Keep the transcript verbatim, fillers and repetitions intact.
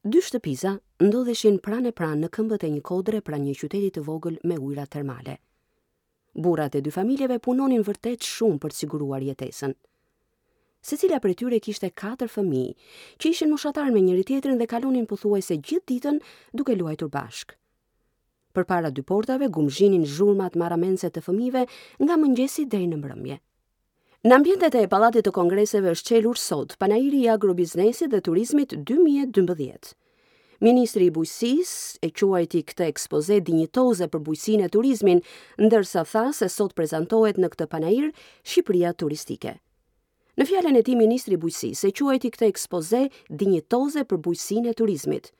Dy shtëpiza ndodheshin pranë e pranë në këmbët e një kodre pranë një qyteti të vogël me ujëra termale. Burrat e dy familjeve punonin vërtet shumë për të siguruar jetesën. Secila prej tyre kishte katër fëmijë, që ishin moshatar me njëri tjetrin dhe kalonin pothuajse gjithë ditën duke luajtur bashkë. Përpara dy portave gumzhinin zhurmat marramendëse të fëmijëve nga mëngjesi deri në mbrëmje. Në ambientet e Pallatit të Kongreseve është çelur sot panairi i agrobiznesit dhe turizmit dy mijë e dymbëdhjetë. Ministri i Bujqësisë e quajti këtë ekspoze dinjitoze për bujqësinë e turizmin, ndërsa tha se sot prezantohet në këtë panair Shqipëria turistike. Në fjalën e tij, ministri i Bujqësisë e quajti këtë ekspoze dinjitoze për bujqësinë e turizmit.